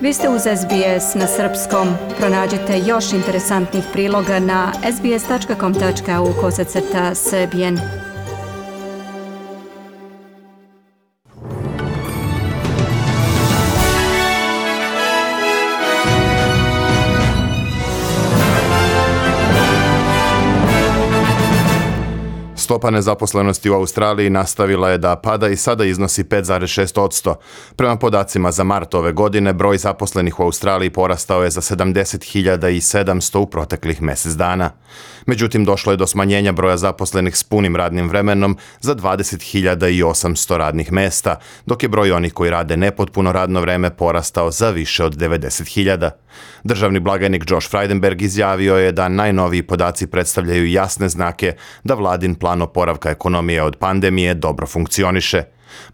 Vi ste uz SBS na srpskom. Pronađite još interesantnih priloga na sbs.com.au/srbijen. Stopa nezaposlenosti u Australiji nastavila je da pada i sada iznosi 5,6%. Prema podacima za mart ove godine, broj zaposlenih u Australiji porastao je za 70.700 u proteklih mjesec dana. Međutim, došlo je do smanjenja broja zaposlenih s punim radnim vremenom za 20.800 radnih mjesta, dok je broj onih koji rade nepotpuno radno vreme porastao za više od 90.000. Državni blagajnik Josh Frydenberg izjavio je da najnoviji podaci predstavljaju jasne znake da vladin plan oporavka ekonomije od pandemije dobro funkcioniše.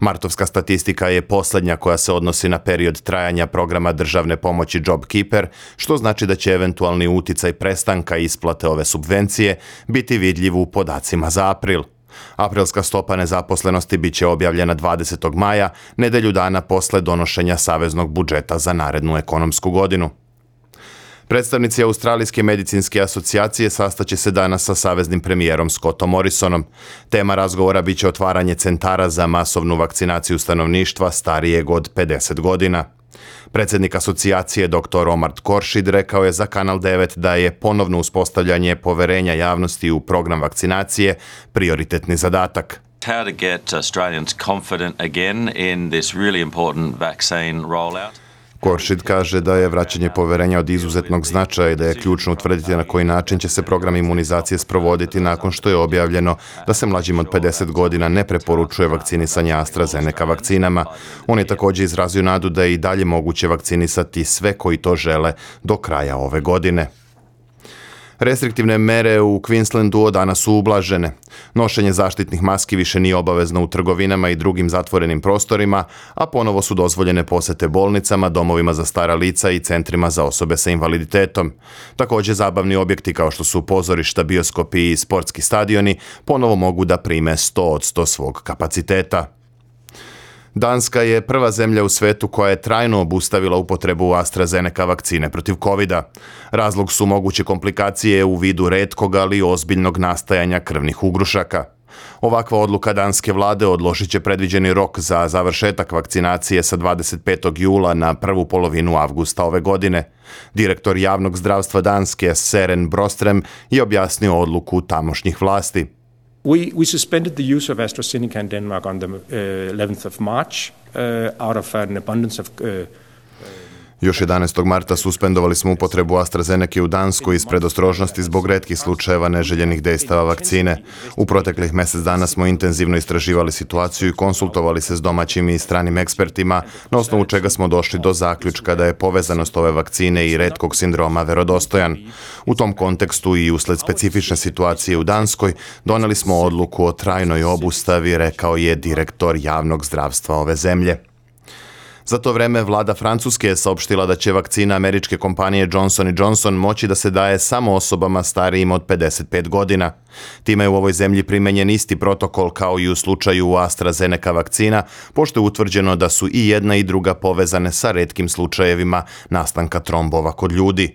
Martovska statistika je posljednja koja se odnosi na period trajanja programa državne pomoći JobKeeper, što znači da će eventualni uticaj prestanka isplate ove subvencije biti vidljiv u podacima za april. Aprilska stopa nezaposlenosti bit će objavljena 20. maja, nedelju dana posle donošenja saveznog budžeta za narednu ekonomsku godinu. Predstavnici Australijske medicinske asocijacije sastaće se danas sa saveznim premijerom Scottom Morrisonom. Tema razgovora biće otvaranje centara za masovnu vakcinaciju stanovništva starijeg od 50 godina. Predsjednik asocijacije dr. Omar Khorshid rekao je za Kanal 9 da je ponovno uspostavljanje poverenja javnosti u program vakcinacije prioritetni zadatak. How to get Australians confident again in this really important vaccine rollout. Khorshid kaže da je vraćanje poverenja od izuzetnog značaja i da je ključno utvrditi na koji način će se program imunizacije sprovoditi nakon što je objavljeno da se mlađim od 50 godina ne preporučuje vakcinisanje AstraZeneca vakcinama. On je također izrazio nadu da je i dalje moguće vakcinisati sve koji to žele do kraja ove godine. Restriktivne mere u Queenslandu od danas su ublažene. Nošenje zaštitnih maski više nije obavezno u trgovinama i drugim zatvorenim prostorima, a ponovo su dozvoljene posete bolnicama, domovima za stara lica i centrima za osobe sa invaliditetom. Također zabavni objekti kao što su pozorišta, bioskopi i sportski stadioni ponovo mogu da prime 100% svog kapaciteta. Danska je prva zemlja u svetu koja je trajno obustavila upotrebu AstraZeneca vakcine protiv covida. Razlog su moguće komplikacije u vidu retkog, ali ozbiljnog nastajanja krvnih ugrušaka. Ovakva odluka danske vlade odložit će predviđeni rok za završetak vakcinacije sa 25. jula na prvu polovinu avgusta ove godine. Direktor javnog zdravstva Danske, Søren Brostrøm, je objasnio odluku tamošnjih vlasti. We suspended the use of AstraZeneca in Denmark on the 11th of March out of an abundance of Još 11. marta suspendovali smo upotrebu AstraZeneca u Danskoj iz predostrožnosti zbog retkih slučajeva neželjenih dejstava vakcine. U proteklih mjesec dana smo intenzivno istraživali situaciju i konsultovali se s domaćim i stranim ekspertima, na osnovu čega smo došli do zaključka da je povezanost ove vakcine i retkog sindroma verodostojan. U tom kontekstu i usled specifične situacije u Danskoj doneli smo odluku o trajnoj obustavi, rekao je direktor javnog zdravstva ove zemlje. Za to vreme vlada Francuske je saopštila da će vakcina američke kompanije Johnson & Johnson moći da se daje samo osobama starijim od 55 godina. Time je u ovoj zemlji primenjen isti protokol kao i u slučaju AstraZeneca vakcina, pošto je utvrđeno da su i jedna i druga povezane sa retkim slučajevima nastanka trombova kod ljudi.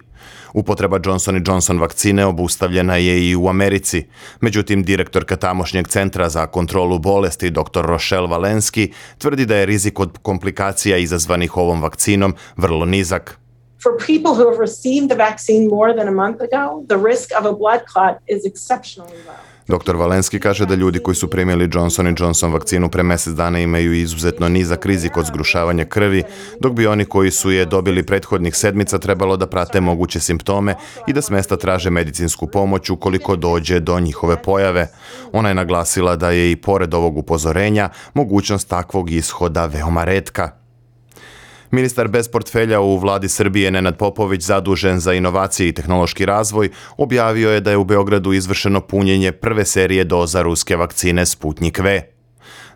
Upotreba Johnson & Johnson vakcine obustavljena je i u Americi. Međutim, direktorka tamošnjeg centra za kontrolu bolesti dr. Rochelle Walensky tvrdi da je rizik od komplikacija izazvanih ovom vakcinom vrlo nizak. For people who have received the vaccine more than a month ago, the risk of a blood clot is exceptionally low. Dr. Walensky kaže da ljudi koji su primili Johnson & Johnson vakcinu pre mjesec dana imaju izuzetno nizak rizik od zgrušavanja krvi, dok bi oni koji su je dobili prethodnih sedmica trebalo da prate moguće simptome i da s mesta traže medicinsku pomoć ukoliko dođe do njihove pojave. Ona je naglasila da je i pored ovog upozorenja mogućnost takvog ishoda veoma retka. Ministar bez portfelja u vladi Srbije Nenad Popović, zadužen za inovacije i tehnološki razvoj, objavio je da je u Beogradu izvršeno punjenje prve serije doza ruske vakcine Sputnik V.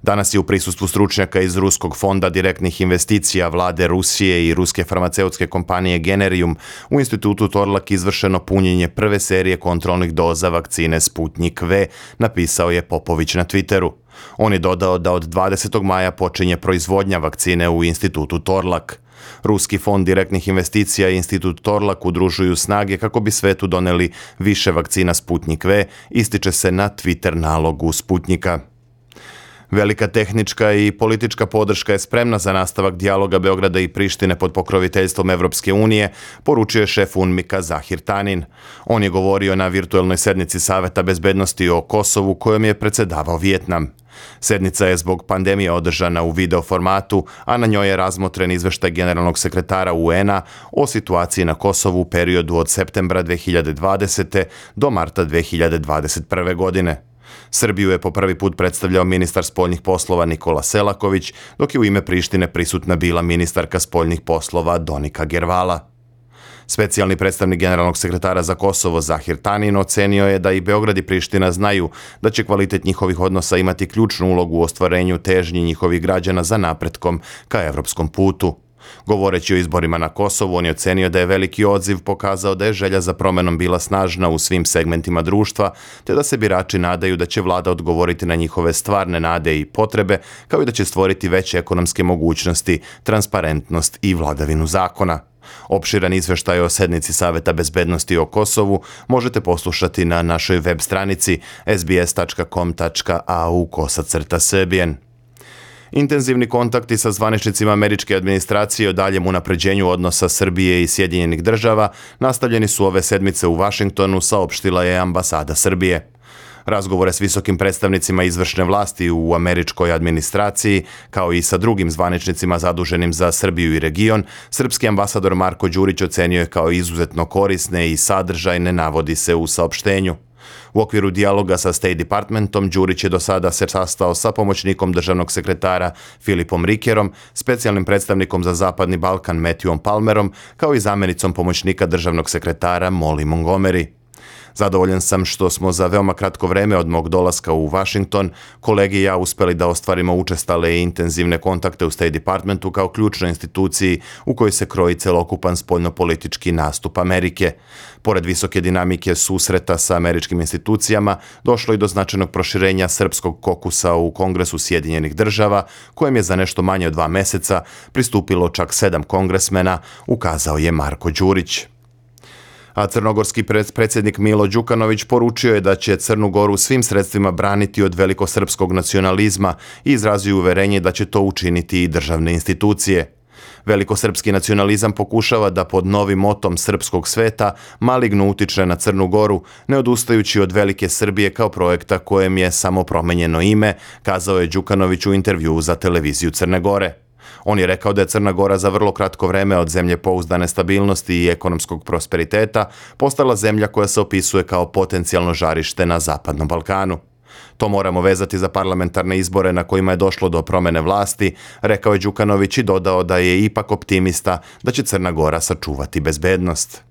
Danas je u prisustvu stručnjaka iz Ruskog fonda direktnih investicija vlade Rusije i ruske farmaceutske kompanije Generium u institutu Torlak izvršeno punjenje prve serije kontrolnih doza vakcine Sputnik V, napisao je Popović na Twitteru. On je dodao da od 20. maja počinje proizvodnja vakcine u institutu Torlak. Ruski fond direktnih investicija i institut Torlak udružuju snage kako bi svetu doneli više vakcina Sputnik V, ističe se na Twitter nalogu Sputnika. Velika tehnička i politička podrška je spremna za nastavak dijaloga Beograda i Prištine pod pokroviteljstvom Evropske unije, poručio je šef UNMIK-a Zahir Tanin. On je govorio na virtuelnoj sednici Saveta bezbednosti o Kosovu kojom je predsjedavao Vijetnam. Sednica je zbog pandemije održana u video formatu, a na njoj je razmotren izveštaj generalnog sekretara UN-a o situaciji na Kosovu u periodu od septembra 2020. do marta 2021. godine. Srbiju je po prvi put predstavljao ministar spoljnih poslova Nikola Selaković, dok je u ime Prištine prisutna bila ministarka spoljnih poslova Donika Gervala. Specijalni predstavnik generalnog sekretara za Kosovo Zahir Tanin ocenio je da i Beograd i Priština znaju da će kvalitet njihovih odnosa imati ključnu ulogu u ostvarenju težnji njihovih građana za napretkom ka evropskom putu. Govoreći o izborima na Kosovu, on je ocenio da je veliki odziv pokazao da je želja za promenom bila snažna u svim segmentima društva, te da se birači nadaju da će vlada odgovoriti na njihove stvarne nade i potrebe, kao i da će stvoriti veće ekonomske mogućnosti, transparentnost i vladavinu zakona. Opširan izveštaj o sednici Saveta bezbednosti o Kosovu možete poslušati na našoj web stranici sbs.com.au/srbijen. Intenzivni kontakti sa zvaničnicima američke administracije o daljem unapređenju odnosa Srbije i Sjedinjenih država nastavljeni su ove sedmice u Vašingtonu, saopštila je ambasada Srbije. Razgovore s visokim predstavnicima izvršne vlasti u američkoj administraciji, kao i sa drugim zvaničnicima zaduženim za Srbiju i region, srpski ambasador Marko Đurić ocenio je kao izuzetno korisne i sadržajne, navodi se u saopštenju. U okviru dijaloga sa State Departmentom, Đurić je do sada se sastao sa pomoćnikom državnog sekretara Filipom Rikerom, specijalnim predstavnikom za Zapadni Balkan Matthewom Palmerom, kao i zamjenicom pomoćnika državnog sekretara Molly Montgomery. Zadovoljan sam što smo za veoma kratko vreme od mog dolaska u Washington, kolege i ja uspeli da ostvarimo učestale i intenzivne kontakte u State Departmentu kao ključnoj instituciji u kojoj se kroji celokupan spoljnopolitički nastup Amerike. Pored visoke dinamike susreta sa američkim institucijama, došlo i do značajnog proširenja srpskog kokusa u Kongresu Sjedinjenih država, kojem je za nešto manje od 2 meseca pristupilo čak 7 kongresmena, ukazao je Marko Đurić. A crnogorski predsjednik Milo Đukanović poručio je da će Crnu Goru svim sredstvima braniti od velikosrpskog nacionalizma i izrazio uverenje da će to učiniti i državne institucije. Velikosrpski nacionalizam pokušava da pod novim motom srpskog sveta maligno utiče na Crnu Goru, ne odustajući od velike Srbije kao projekta kojem je samo promenjeno ime, kazao je Đukanović u intervjuu za televiziju Crne Gore. On je rekao da je Crna Gora za vrlo kratko vreme od zemlje pouzdane stabilnosti i ekonomskog prosperiteta postala zemlja koja se opisuje kao potencijalno žarište na Zapadnom Balkanu. To moramo vezati za parlamentarne izbore na kojima je došlo do promene vlasti, rekao je Đukanović i dodao da je ipak optimista da će Crna Gora sačuvati bezbednost.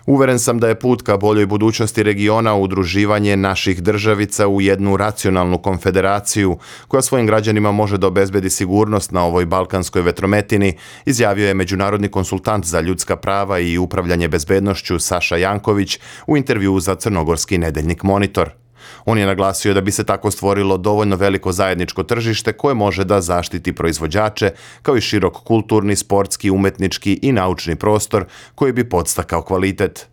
Uveren sam da je put ka boljoj budućnosti regiona udruživanje naših državica u jednu racionalnu konfederaciju koja svojim građanima može da obezbedi sigurnost na ovoj balkanskoj vetrometini, izjavio je međunarodni konsultant za ljudska prava i upravljanje bezbednošću Saša Janković u intervjuu za crnogorski nedeljnik Monitor. On je naglasio da bi se tako stvorilo dovoljno veliko zajedničko tržište koje može da zaštiti proizvođače, kao i širok kulturni, sportski, umetnički i naučni prostor koji bi podstakao kvalitet.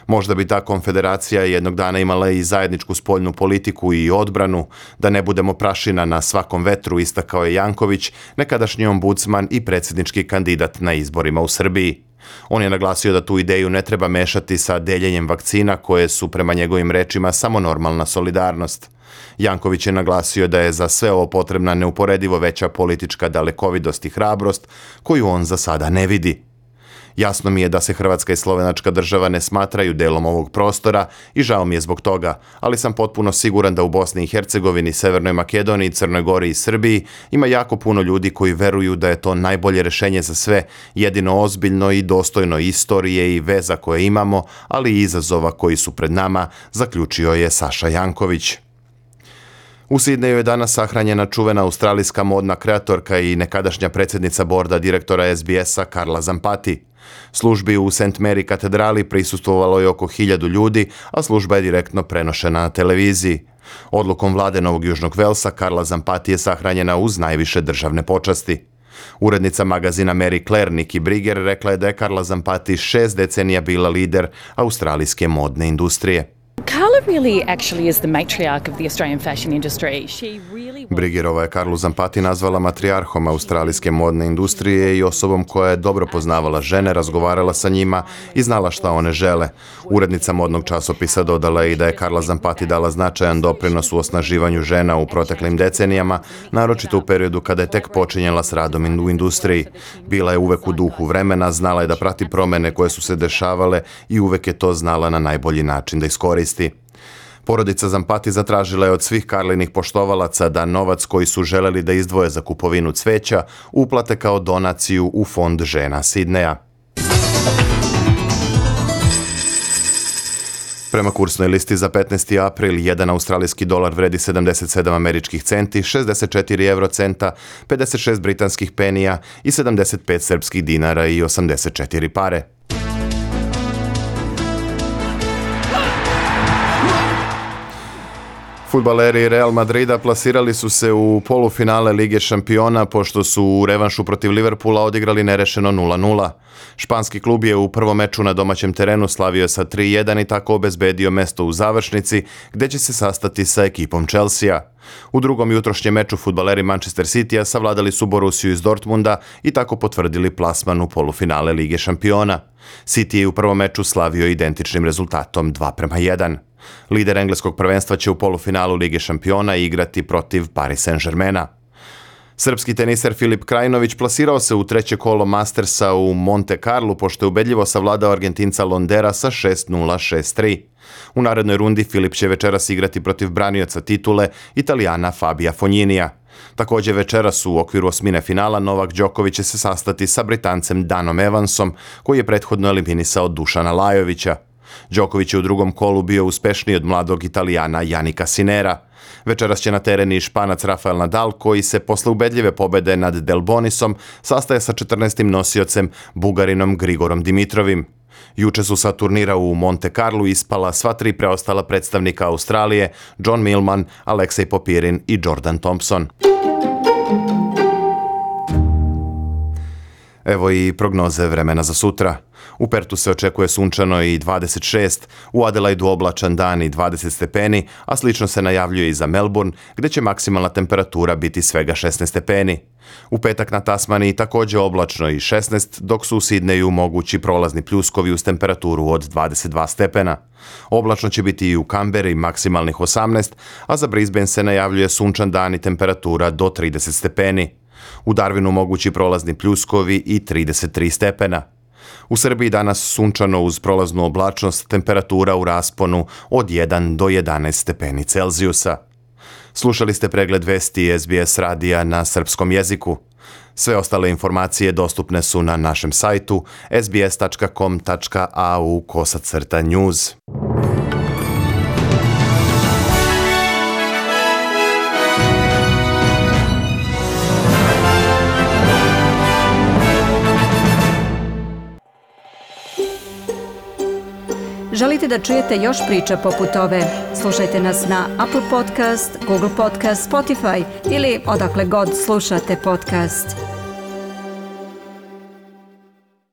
Možda bi ta konfederacija jednog dana imala i zajedničku spoljnu politiku i odbranu, da ne budemo prašina na svakom vetru, istakao je Janković, nekadašnji ombudsman i predsjednički kandidat na izborima u Srbiji. On je naglasio da tu ideju ne treba mešati sa deljenjem vakcina koje su prema njegovim rečima samo normalna solidarnost. Janković je naglasio da je za sve ovo potrebna neuporedivo veća politička dalekovidost i hrabrost koju on za sada ne vidi. Jasno mi je da se Hrvatska i Slovenačka država ne smatraju delom ovog prostora i žao mi je zbog toga, ali sam potpuno siguran da u Bosni i Hercegovini, Severnoj Makedoniji, Crnoj Gori i Srbiji ima jako puno ljudi koji veruju da je to najbolje rešenje za sve, jedino ozbiljno i dostojno istorije i veza koje imamo, ali i izazova koji su pred nama, zaključio je Saša Janković. U Sidneju je danas sahranjena čuvena australijska modna kreatorka i nekadašnja predsjednica borda direktora SBS-a Carla Zampati. Službi u St. Mary katedrali prisustvovalo je oko 1000 ljudi, a služba je direktno prenošena na televiziji. Odlukom vlade Novog Južnog Velsa Carla Zampati je sahranjena uz najviše državne počasti. Urednica magazina Mary Claire Nikki Brigger rekla je da je Carla Zampati 6 decenija bila lider australijske modne industrije. Carla really actually is the matriarch of the Australian fashion industry. She really was... Briggerova je Carlu Zampati nazvala matrijarhom australijske modne industrije i osobom koja je dobro poznavala žene, razgovarala sa njima i znala šta one žele. Urednica modnog časopisa dodala je i da je Carla Zampati dala značajan doprinos u osnaživanju žena u proteklim decenijama, naročito u periodu kada je tek počinjela s radom u industriji. Bila je uvek u duhu vremena, znala je da prati promjene koje su se dešavale i uvek je to znala na najbolji način da iskoristi. Porodica Zampati zatražila je od svih Carlinih poštovalaca da novac koji su želeli da izdvoje za kupovinu cveća uplate kao donaciju u fond žena Sidneja. Prema kursnoj listi za 15. april, 1 australijski dolar vredi 77 američkih centi, 64 eurocenta, 56 britanskih penija i 75 srpskih dinara i 84 pare. Fudbaleri Real Madrida plasirali su se u polufinale Lige šampiona pošto su u revanšu protiv Liverpoola odigrali nerešeno 0-0. Španski klub je u prvom meču na domaćem terenu slavio sa 3-1 i tako obezbedio mesto u završnici gdje će se sastati sa ekipom Chelsea. U drugom jutrošnjem meču fudbaleri Manchester Citya savladali su Borussiju iz Dortmunda i tako potvrdili plasman u polufinale Lige šampiona. City je u prvom meču slavio identičnim rezultatom 2:1. Lider engleskog prvenstva će u polufinalu Lige šampiona igrati protiv Paris Saint-Germaina. Srpski teniser Filip Krajinović plasirao se u treće kolo Mastersa u Monte Carlu pošto je ubedljivo savladao Argentinca Londera sa 6:0, 6:3. U narednoj rundi Filip će večeras igrati protiv branioca titule Italijana Fabija Fogninija. Također večeras u okviru osmine finala Novak Đoković će se sastati sa Britancem Danom Evansom koji je prethodno eliminisao Dušana Lajovića. Đoković je u drugom kolu bio uspešniji od mladog Italijana Janika Sinera. Večeras će na teren i Španac Rafael Nadal koji se posle ubedljive pobede nad Delbonisom sastaje sa 14. nosiocem Bugarinom Grigorom Dimitrovim. Juče su sa turnira u Monte Carlu ispala sva tri preostala predstavnika Australije, John Millman, Aleksej Popirin i Jordan Thompson. Evo i prognoze vremena za sutra. U Pertu se očekuje sunčano i 26, u Adelaidu oblačan dan i 20 stepeni, a slično se najavljuje i za Melbourne, gdje će maksimalna temperatura biti svega 16 stepeni. U petak na Tasmaniji također oblačno i 16, dok su u Sidneju mogući prolazni pljuskovi uz temperaturu od 22 stepena. Oblačno će biti i u Kamberi maksimalnih 18, a za Brisbane se najavljuje sunčan dan i temperatura do 30 stepeni. U Darwinu mogući prolazni pljuskovi i 33 stepena. U Srbiji danas sunčano uz prolaznu oblačnost, temperatura u rasponu od 1 do 11 stepeni Celzijusa. Slušali ste pregled vesti SBS radija na srpskom jeziku. Sve ostale informacije dostupne su na našem sajtu sbs.com.au/news. Želite da čujete još priča poput ove? Slušajte nas na Apple Podcast, Google Podcast, Spotify ili odakle god slušate podcast.